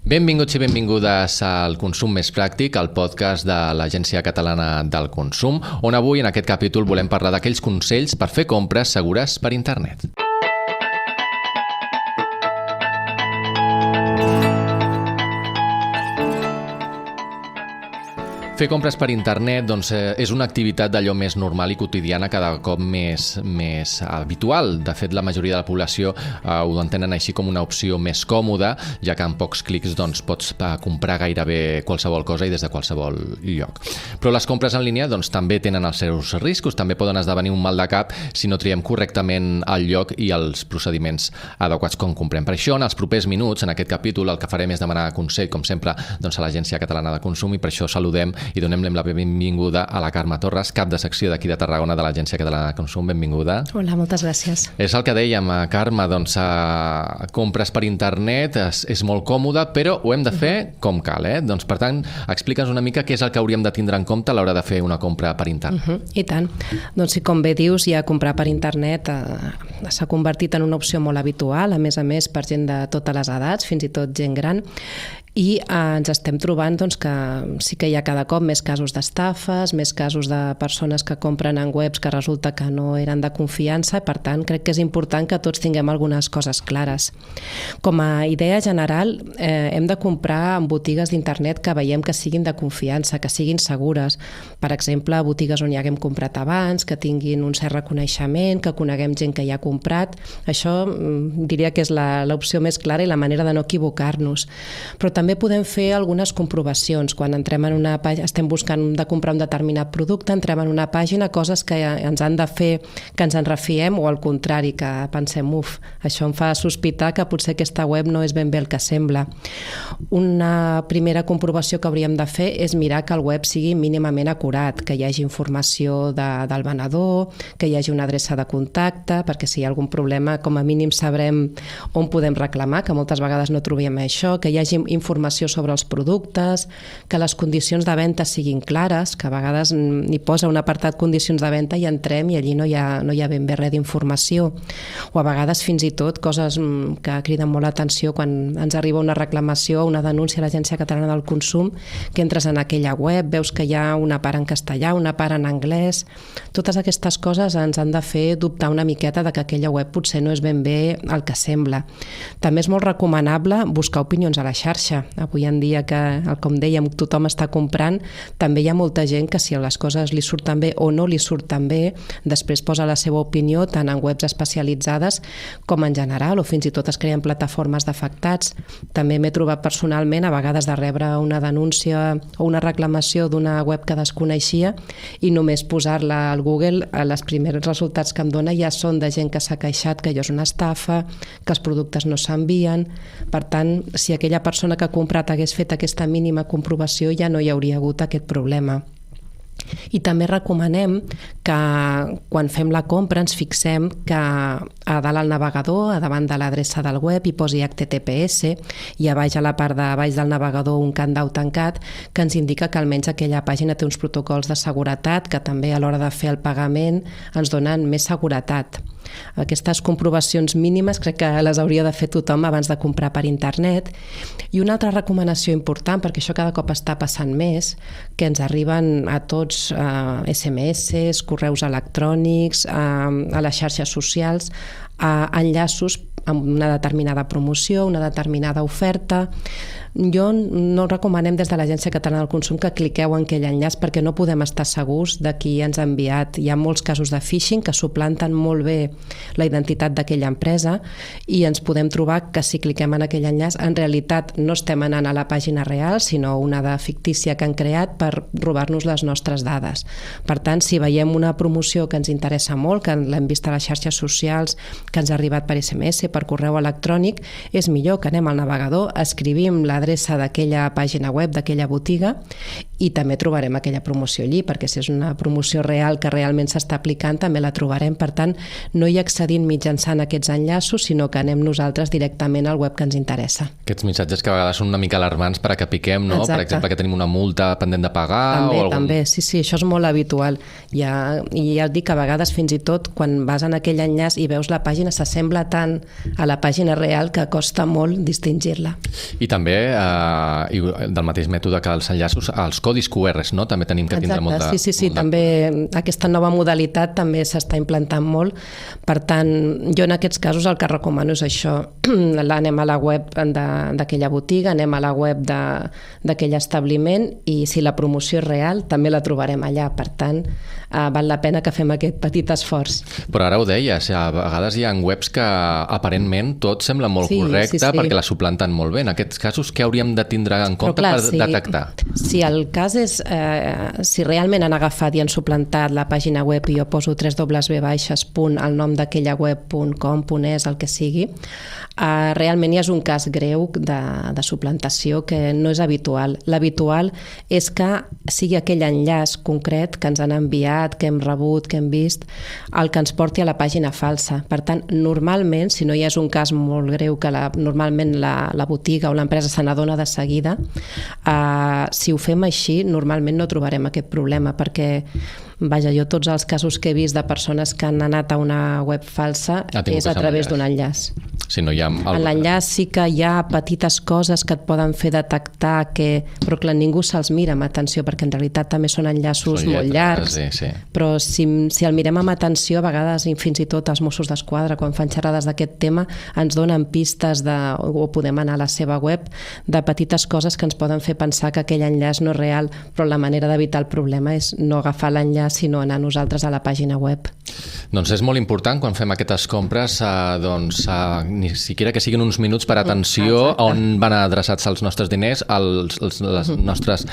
Benvinguts i benvingudes al Consum Més Pràctic, el podcast de l'Agència Catalana del Consum, on avui en aquest capítol volem parlar d'aquells consells per fer compres segures per internet. Fer compres per internet és una activitat d'allò més normal i quotidiana, cada cop més habitual. De fet, la majoria de la població ho entenen així com una opció més còmoda, ja que amb pocs clics pots comprar gairebé qualsevol cosa i des de qualsevol lloc. Però les compres en línia també tenen els seus riscos, també poden esdevenir un mal de cap si no triem correctament el lloc i els procediments adequats com comprem. Per això, en els propers minuts, en aquest capítol, el que farem és demanar consell, com sempre, a l'Agència Catalana de Consum, i per això saludem i donem la benvinguda a la Carme Torres, cap de secció d'aquí de Tarragona de l'Agència Catalana de Consum. Benvinguda. Hola, moltes gràcies. És el que dèiem, Carme, compres per internet és molt còmode, però ho hem de fer com cal, Per tant, explica'ns una mica què és el que hauríem de tindre en compte a l'hora de fer una compra per internet. I tant. Doncs, com bé dius, ja comprar per internet s'ha convertit en una opció molt habitual, a més per gent de totes les edats, fins i tot gent gran, i ens estem trobant que sí que hi ha cada cop més casos d'estafes, més casos de persones que compren en webs que resulta que no eren de confiança. Per tant, crec que és important que tots tinguem algunes coses clares. Com a idea general, hem de comprar en botigues d'internet que veiem que siguin de confiança, que siguin segures. Per exemple, botigues on ja haguem comprat abans, que tinguin un cert reconeixement, que coneguem gent que ja ha comprat. Això diria que és l'opció més clara i la manera de no equivocar-nos. Però també podem fer algunes comprovacions. Quan entrem en una pàgina, estem buscant de comprar un determinat producte, entrem en una pàgina, coses que ens han de fer que ens en refiem, o al contrari, que pensem, això em fa sospitar que potser aquesta web no és ben bé el que sembla. Una primera comprovació que hauríem de fer és mirar que el web sigui mínimament acurat, que hi hagi informació del venedor, que hi hagi una adreça de contacte, perquè si hi ha algun problema, com a mínim sabrem on podem reclamar, que moltes vegades no trobem això, que hi hagi informació sobre els productes, que les condicions de venda siguin clares, que a vegades n'hi posa un apartat condicions de venda i entrem i allí no hi ha ben bé res d'informació. O a vegades fins i tot coses que criden molt l'atenció quan ens arriba una reclamació o una denúncia a l'Agència Catalana del Consum, que entres en aquella web, veus que hi ha una part en castellà, una part en anglès. Totes aquestes coses ens han de fer dubtar una miqueta de que aquella web potser no és ben bé el que sembla. També és molt recomanable buscar opinions a la xarxa. Avui en dia que, com dèiem, tothom està comprant, també hi ha molta gent que si les coses li surten bé o no li surten bé, després posa la seva opinió tant en webs especialitzades com en general, o fins i tot es creen plataformes d'afectats. També m'he trobat personalment a vegades de rebre una denúncia o una reclamació d'una web que desconeixia i només posar-la al Google, els primers resultats que em dona ja són de gent que s'ha queixat que allò és una estafa, que els productes no s'envien. Per tant, si aquella persona que ha comprat hagués fet aquesta mínima comprovació, ja no hi hauria hagut aquest problema. I també recomanem que quan fem la compra ens fixem que a dalt al navegador, a davant de l'adreça del web, hi posi HTTPS i a baix, a la part de baix del navegador, un candau tancat que ens indica que almenys aquella pàgina té uns protocols de seguretat que també a l'hora de fer el pagament ens donen més seguretat. Aquestes comprovacions mínimes crec que les hauria de fer tothom abans de comprar per internet. I una altra recomanació important, perquè això cada cop està passant més, que ens arriben a tots SMS, correus electrònics, a les xarxes socials, enllaços amb una determinada promoció, una determinada oferta. No recomanem des de l'Agència Catalana del Consum que cliqueu en aquell enllaç perquè no podem estar segurs de qui ens ha enviat. Hi ha molts casos de phishing que suplanten molt bé la identitat d'aquella empresa i ens podem trobar que si cliquem en aquell enllaç en realitat no estem anant a la pàgina real, sinó una de fictícia que han creat per robar-nos les nostres dades. Per tant, si veiem una promoció que ens interessa molt, que l'hem vist a les xarxes socials, que ens ha arribat per SMS, per correu electrònic, és millor que anem al navegador, escrivim l'adreça d'aquella pàgina web, d'aquella botiga, i també trobarem aquella promoció allí, perquè si és una promoció real que realment s'està aplicant també la trobarem. Per tant, no hi accedim mitjançant aquests enllaços, sinó que anem nosaltres directament al web que ens interessa. Aquests missatges que a vegades són una mica alarmants per a que piquem, no? Exacte. Per exemple, que tenim una multa pendent de pagar També, sí, això és molt habitual. I ja et dic que a vegades fins i tot quan vas en aquell enllaç i veus la pàgina s'assembla tant a la pàgina real que costa molt distingir-la. I també, del mateix mètode que els enllaços, els codis QRs, no? També tenim que tindre molta... Sí, també aquesta nova modalitat també s'està implantant molt. Per tant, jo en aquests casos el que recomano és això. Anem a la web d'aquella botiga, anem a la web d'aquell establiment i si la promoció és real també la trobarem allà. Per tant, val la pena que fem aquest petit esforç. Però ara ho deies, a vegades hi ha webs que aparentment tot sembla molt correcte perquè la suplanten molt bé. En aquests casos, què hauríem de tindre en compte per detectar? Si el cas és, si realment han agafat i han suplantat la pàgina web i jo poso el nom d'aquella web.com.es, el que sigui, realment ja és un cas greu de suplantació que no és habitual. L'habitual és que sigui aquell enllaç concret que ens han enviat, que hem rebut, que hem vist, el que ens porti a la pàgina falsa. Per tant, normalment, si no hi és un cas molt greu que normalment la botiga o l'empresa se n'adona de seguida, si ho fem així, normalment no trobarem aquest problema, perquè vaja, jo tots els casos que he vist de persones que han anat a una web falsa és a través d'un enllaç. Si no hi ha... En l'enllaç sí que hi ha petites coses que et poden fer detectar però clar, ningú se'ls mira amb atenció perquè en realitat també són enllaços molt llargs, però si el mirem amb atenció, a vegades fins i tot els Mossos d'Esquadra quan fan xerrades d'aquest tema ens donen pistes o podem anar a la seva web de petites coses que ens poden fer pensar que aquell enllaç no és real, però la manera d'evitar el problema és no agafar l'enllaç sinó anar nosaltres a la pàgina web. Doncs és molt important quan fem aquestes compres ni siquiera que siguin uns minuts per atenció on van adreçats els nostres diners, les nostres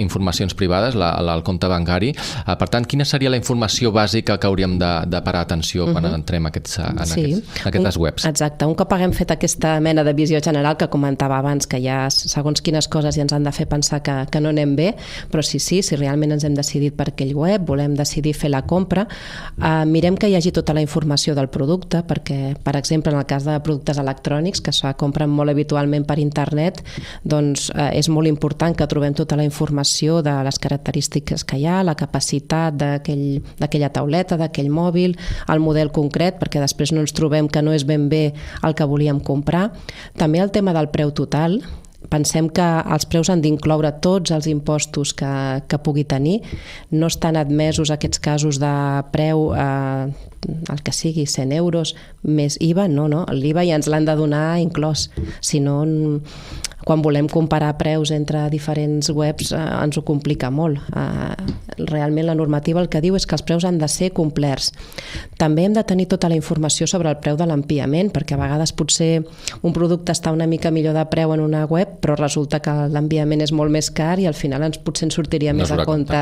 informacions privades, el compte bancari. Per tant, quina seria la informació bàsica que hauríem de parar atenció quan entrem en aquestes webs? Exacte. Un cop haguem fet aquesta mena de visió general que comentava abans, que hi ha segons quines coses ja ens han de fer pensar que no anem bé, però si realment ens hem decidit per aquell web, volem decidir fer la compra, mirem que hi hagi tota la informació del producte, perquè, per exemple, en el cas de productes electrònics que se compren molt habitualment per internet, doncs és molt important que trobem tota la informació de les característiques que hi ha, la capacitat d'aquella tauleta, d'aquell mòbil, el model concret, perquè després no ens trobem que no és ben bé el que volíem comprar. També el tema del preu total. Pensem que els preus han d'incloure tots els impostos que pugui tenir. No estan admesos aquests casos de preu, el que sigui, 100 euros més IVA. No. L'IVA ja ens l'han de donar inclòs. Si no, quan volem comparar preus entre diferents webs ens ho complica molt. Realment la normativa el que diu és que els preus han de ser complerts. També hem de tenir tota la informació sobre el preu de l'enviament, perquè a vegades potser un producte està una mica millor de preu en una web, però resulta que l'enviament és molt més car i al final potser ens sortiria més a compte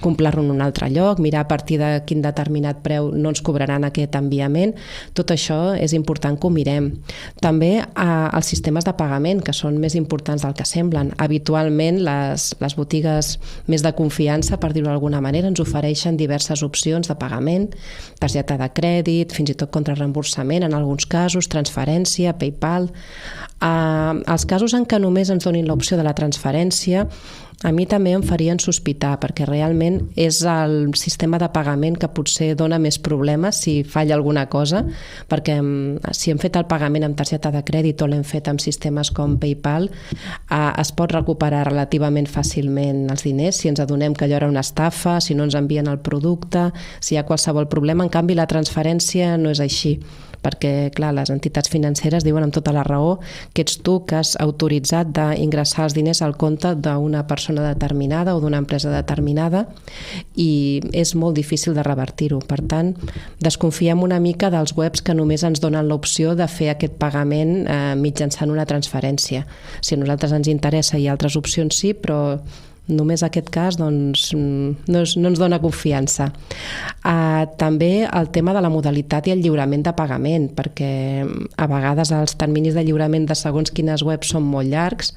comprar-lo en un altre lloc, mirar a partir de quin determinat preu no ens cobraran aquest enviament. Tot això és important que ho mirem. També els sistemes de pagament, que són més importants del que semblen. Habitualment les botigues més de confiança, per dir-ho d'alguna manera, ens ofereixen diverses opcions de pagament, targeta de crèdit, fins i tot contrarreemborsament en alguns casos, transferència, PayPal. Els casos en què només ens donin l'opció de la transferència, a mi també em farien sospitar, perquè realment és el sistema de pagament que potser dona més problemes si falla alguna cosa, perquè si hem fet el pagament amb targeta de crèdit o l'hem fet amb sistemes com PayPal, es pot recuperar relativament fàcilment els diners si ens adonem que allò era una estafa, si no ens envien el producte, si hi ha qualsevol problema. En canvi, la transferència no és així, perquè, clar, les entitats financeres diuen amb tota la raó que ets tu que has autoritzat d'ingressar els diners al compte d'una persona determinada o d'una empresa determinada i és molt difícil de revertir-ho. Per tant, desconfiem una mica dels webs que només ens donen l'opció de fer aquest pagament mitjançant una transferència. Si a nosaltres ens interessa hi ha altres opcions sí, però només aquest cas doncs, no ens dona confiança. També el tema de la modalitat i el lliurament de pagament, perquè a vegades els terminis de lliurament de segons quines webs són molt llargs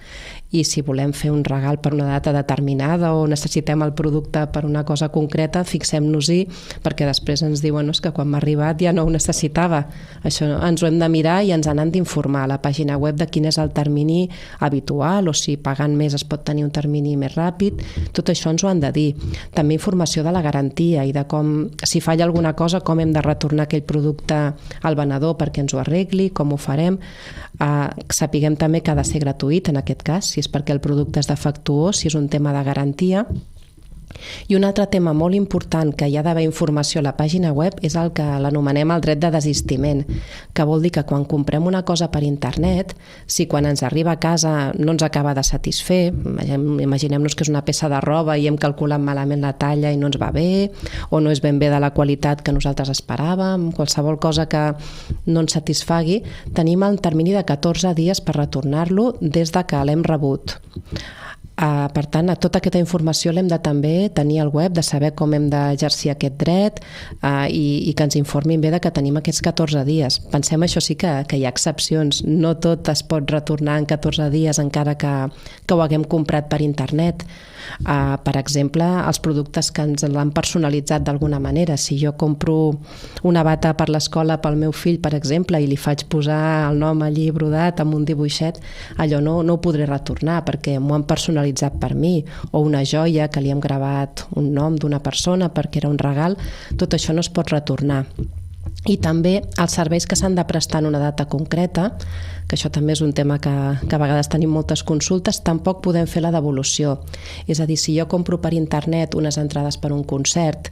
i si volem fer un regal per una data determinada o necessitem el producte per una cosa concreta, fixem-nos-hi, perquè després ens diuen que quan m'ha arribat ja no ho necessitava. Això ens ho hem de mirar i ens han d'informar a la pàgina web de quin és el termini habitual o si pagant més es pot tenir un termini més ràpid. Tot això ens ho han de dir. També informació de la garantia i de com, si falla alguna cosa, com hem de retornar aquell producte al venedor perquè ens ho arregli, com ho farem. Sapiguem també que ha de ser gratuït en aquest cas, si és perquè el producte és defectuós, si és un tema de garantia. I un altre tema molt important que hi ha d'haver informació a la pàgina web és el que l'anomenem el dret de desistiment, que vol dir que quan comprem una cosa per internet, si quan ens arriba a casa no ens acaba de satisfer, imaginem-nos que és una peça de roba i hem calculat malament la talla i no ens va bé, o no és ben bé de la qualitat que nosaltres esperàvem, qualsevol cosa que no ens satisfagui, tenim el termini de 14 dies per retornar-lo des de que l'hem rebut. Per tant, tota aquesta informació l'hem de també tenir al web, de saber com hem d'exercir aquest dret i que ens informin bé de que tenim aquests 14 dies. Pensem, això sí, que hi ha excepcions. No tot es pot retornar en 14 dies encara que ho haguem comprat per internet. Per exemple, els productes que ens l'han personalitzat d'alguna manera. Si jo compro una bata per l'escola pel meu fill, per exemple, i li faig posar el nom allí brodat amb un dibuixet, allò no ho podré retornar perquè m'ho han personalitzat per mi, o una joia que li hem gravat un nom d'una persona perquè era un regal, tot això no es pot retornar. I també els serveis que s'han de prestar en una data concreta, que això també és un tema que a vegades tenim moltes consultes, tampoc podem fer la devolució. És a dir, si jo compro per internet unes entrades per un concert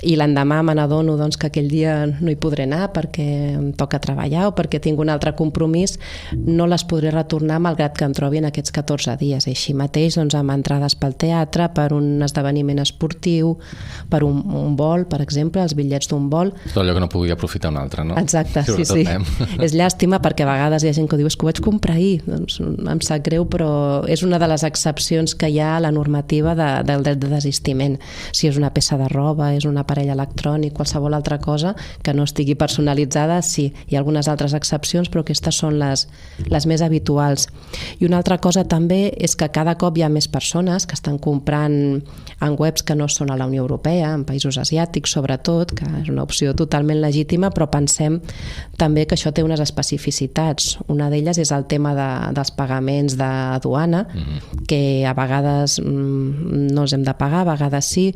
i l'endemà me n'adono que aquell dia no hi podré anar perquè em toca treballar o perquè tinc un altre compromís, no les podré retornar malgrat que em trobi en aquests 14 dies. I així mateix amb entrades pel teatre, per un esdeveniment esportiu, per un vol, per exemple, els bitllets d'un vol. Tot allò que no pugui aprofitar un altre, no? Exacte, sí. És llàstima perquè a vegades hi ha gent que diu que ho vaig comprar ahir. Doncs em sap greu, però és una de les excepcions que hi ha a la normativa del dret de desistiment. Si és una peça de roba, és un aparell electrònic, qualsevol altra cosa que no estigui personalitzada, sí. Hi ha algunes altres excepcions, però aquestes són les més habituals. I una altra cosa també és que cada cop hi ha més persones que estan comprant en webs que no són a la Unió Europea, en països asiàtics sobretot, que és una opció totalment legítima, però pensem també que això té unes especificitats. Una d'elles és el tema dels pagaments de duana, que a vegades no els hem de pagar, a vegades sí.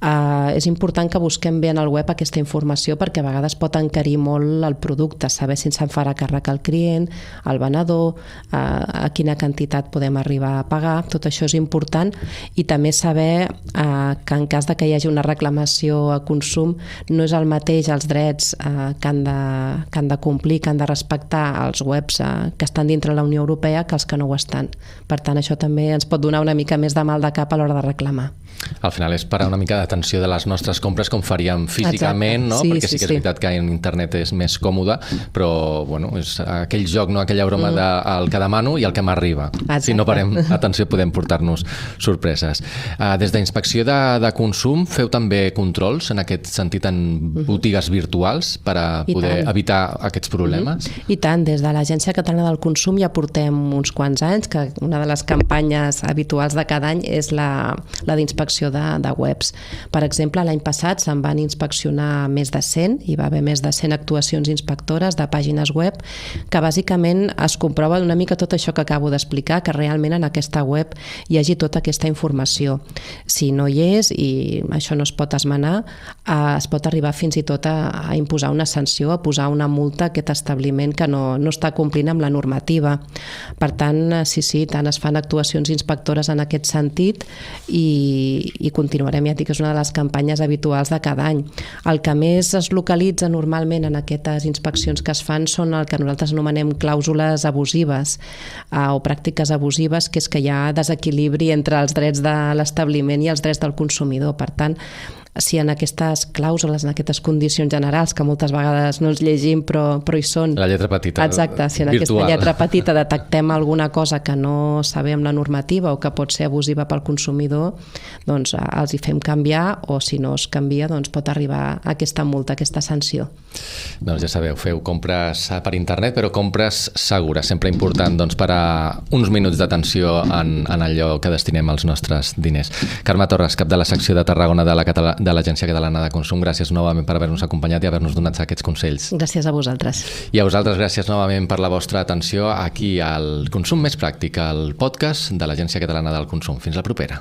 És important que busquem bé en el web aquesta informació perquè a vegades pot encarir molt el producte, saber si se'n farà càrrec al client, al venedor, a quina quantitat podem arribar a pagar. Tot això és important i també saber que en cas de que hi hagi una reclamació a consum no és el mateix els drets que han de complir, que han de respectar els webs que estan dintre la Unió Europea que els que no ho estan. Per tant, això també ens pot donar una mica més de mal de cap a l'hora de reclamar. Al final és parar una mica d'atenció de les nostres compres com faríem físicament, no? Perquè sí que és veritat que en internet és més còmode, però bueno, és aquell joc, no? Aquella broma del que demano i el que m'arriba. Si no parem atenció podem portar-nos sorpreses. Des d'Inspecció de Consum feu també controls en aquest sentit en botigues virtuals per a poder evitar aquests problemes? I tant, des de l'Agència Catalana del Consum ja portem uns quants anys que una de les campanyes habituals de cada any és la d'inspecció de webs. Per exemple, l'any passat se'n van inspeccionar més de 100, hi va haver més de 100 actuacions inspectores de pàgines web que bàsicament es comprova una mica tot això que acabo d'explicar, que realment en aquesta web hi hagi tota aquesta informació. Si no hi és, i això no es pot esmenar, es pot arribar fins i tot a imposar una sanció, a posar una multa a aquest establiment que no està complint amb la normativa. Per tant, sí, tant es fan actuacions inspectores en aquest sentit i continuarem, ja dic que és una de les campanyes habituals de cada any. El que més es localitza normalment en aquestes inspeccions que es fan són el que nosaltres anomenem clàusules abusives o pràctiques abusives, que és que hi ha desequilibri entre els drets de l'establiment i els drets del consumidor. Per tant, si en aquestes clàusules, en aquestes condicions generals, que moltes vegades no ens llegim però hi són... La lletra petita, exacte, si en virtual. aquesta lletra petita detectem alguna cosa que no sabem la normativa o que pot ser abusiva pel consumidor, doncs els hi fem canviar, o si no es canvia, doncs pot arribar aquesta multa, aquesta sanció. Doncs ja sabeu, feu compres per internet, però compres segures, sempre important doncs, per a uns minuts d'atenció en allò que destinem els nostres diners. Carme Torres, cap de la secció de Tarragona de l'Agència Catalana de Consum, gràcies novament per haver-nos acompanyat i haver-nos donat aquests consells. Gràcies a vosaltres. I a vosaltres, gràcies novament per la vostra atenció aquí al Consum Més Pràctic, el podcast de l'Agència Catalana del Consum. Fins la propera.